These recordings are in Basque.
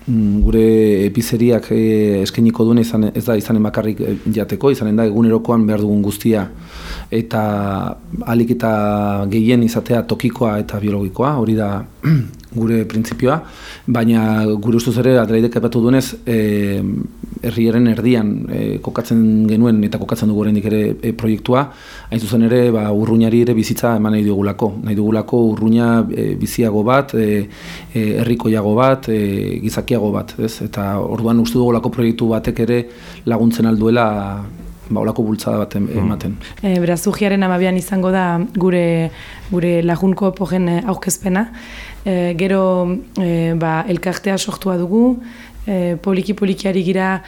gure pizzeriak eskainiko duen ez da izanen bakarrik jateko, izanen da egunerokoan behar dugun guztia eta ahalik eta gehien izatea tokikoa eta biologikoa, hori da gure printzipioa, baina gure ustuz ere Adelaidek aipatu duenez herriaren erdian kokatzen genuen eta kokatzen dugu oraindik ere proiektua, hain zuzen ere urruñari ere bizitza eman nahi dugulako urruña biziago bat, herrikoiago bat, gizakiago bat, ez? Eta orduan uste dugulako proiektu batek ere laguntzen alduela olako bultzada bat ematen. Beraz, urriaren 12an izango da gure lagunko pogen aurkezpena. Gero elkartea sortua dugu, poliki ari gira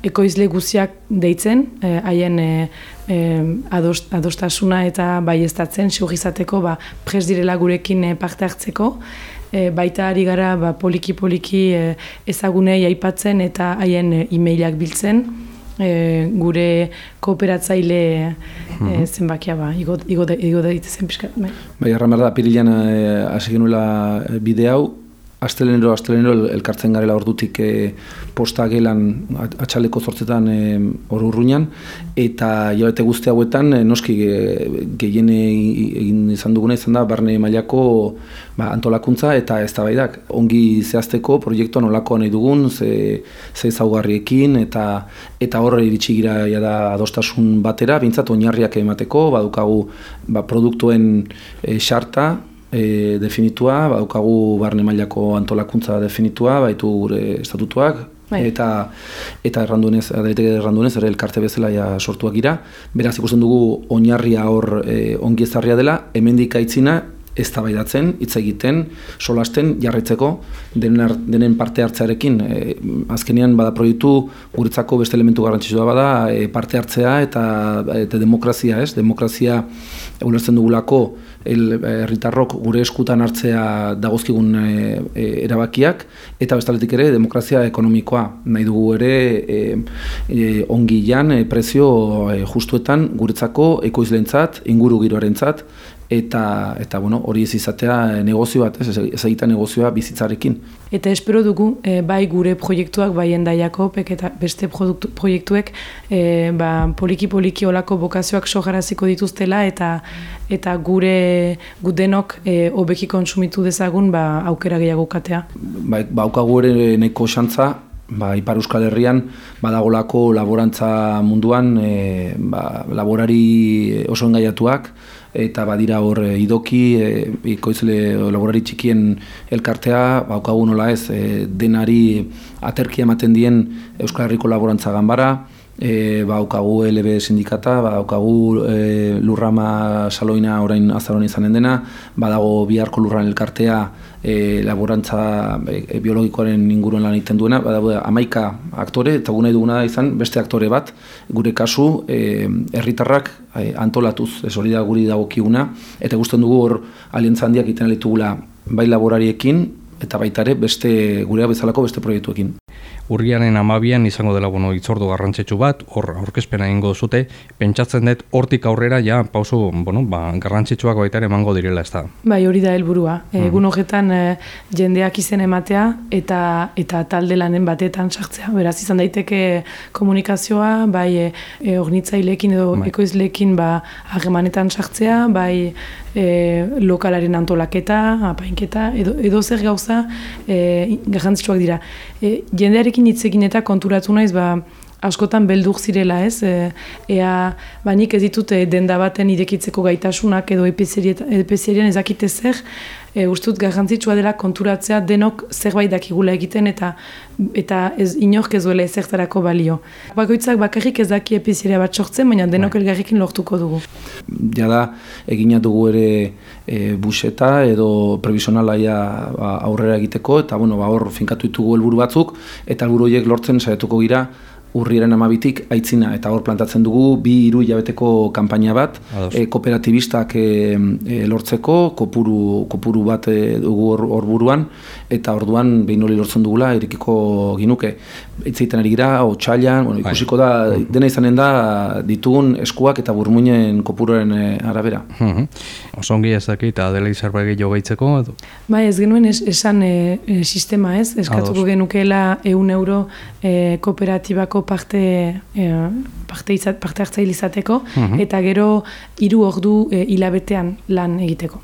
ekoizle guztiak deitzen, haien adostasuna eta baieztatzen, segurizateko prest direla gurekin parte hartzeko. Baita ari gara poliki ezagunei aipatzen eta haien e-mailak biltzen. Gure kooperatzaile zenbakia igo daitezen pixka. Bai, erran behar da, apirilean hasi genuela bide hau, Astelenero elkartzen garela ordutik posta gelan atxaleko 8 hor urruñan, eta hilabete guzti hauetan noski gehien egin izan duguna izan da barne mailako antolakuntza eta eztabaidak. Ongi zehazteko proiektua nolakoa nahi dugun, ze ezaugarriekin eta horre iritsi gira da adostasun batera, behintzat oinarriak emateko, badukagu produktuen xarta, definitua, badaukagu barne mailako antolakuntza definitua, baitu gure estatutuak, eta erranduenez ere elkarte bezala sortuak gira. Beraz ikusten dugu oinarria hor ongi ezarria dela, hemendik aitzina eztabaidatzen, hitz egiten, solasten, jarraitzeko, denen parte hartzearekin. Azkenean bada proiektu guretzako beste elementu garrantzitsua bada parte hartzea eta demokrazia, ez? Demokrazia ulertzen dugulako herritarrok gure eskutan hartzea dagozkigun erabakiak, eta bestaletik ere demokrazia ekonomikoa. Nahi dugu ere ongilan, prezio justuetan guretzako ekoizleentzat, ingurugiroarentzat, eta hori ez izatea negozio bat, ez egita negozioa bizitzarekin. Eta espero dugu, bai gure proiektuak, bai Endaiako eta beste proiektuek poliki olako bokazioak sogaraziko dituztela eta gure gudenok hobeki kontsumitu dezagun aukera gehiago katea. Baukagu ere nahiko xantza, Ipar Euskal Herrian badagolako laborantza munduan laborari oso engaiatuak, eta badira hor idoki, ikoizle laborari txikien elkartea, baukagu nola ez, denari aterkia ematen dien Euskal Herriko laborantza ganbara, baukagu LB sindikata, baukagu lurrama saloina orain azaron izanen dena, badago biharko lurran elkartea laborantza biologikoaren inguruan lan egiten duena, badago 11 aktore, eta gu nahi duguna da izan beste aktore bat, gure kasu herritarrak antolatuz, ez hori da guri dagokiguna, eta gusten dugu hor aliantza handiak egiten ditugula bai laborariekin, eta baita ere beste gurea bezalako beste proiektuekin. Urriaren 12an izango dela hitzordu garrantzitsu bat, hor aurkezpena egingo zute, pentsatzen dut hortik aurrera pauso garrantzitsuak baita ere emango direla, ez da? Bai, hori da helburua. Egun horretan jendeak izen ematea eta talde lanen batetan sartzea. Beraz izan daiteke komunikazioa, bai hornitzaileekin edo ekoizleekin harremanetan sartzea, bai lokalaren antolaketa, apainketa, edo zer gauza garrantzitsuak dira. Jendearekin hitz egin eta konturatu naiz askotan beldur zirela, ez? Nik ez ditut denda baten irekitzeko gaitasunak edo epezerien ezakite zer, ustut garrantzitsua dela konturatzea denok zerbait dakigula egiten eta ez inork ez duela ezertarako balio. Bakoitzak bakarrik ez daki epezeria bat sortzen, baina denok elgarrekin lortuko dugu. Jada, egina dugu ere buseta edo previsionalaia aurrera egiteko, eta hor finkatu ditugu helburu batzuk, eta helburu horiek lortzen saiatuko gira urriaren 12tik aitzina, eta hor plantatzen dugu 2-3 hilabeteko kanpaina bat, kooperatibistak lortzeko, kopuru bat dugu hor buruan, eta orduan behin hori lortzen dugula, irekiko ginuke. Itzeiten ari gira, otsailean, ikusiko da, dena izanen da, ditugun eskuak eta burmuinen kopuroren arabera. Osongi ezakit, Adela zerbait gehiago gehitzeko? Bai, ez genuen esan sistema, ez? Eskatuko genukeela €1 kooperatibako parte hartzaile izateko, eta gero 3 ordu hilabetean lan egiteko.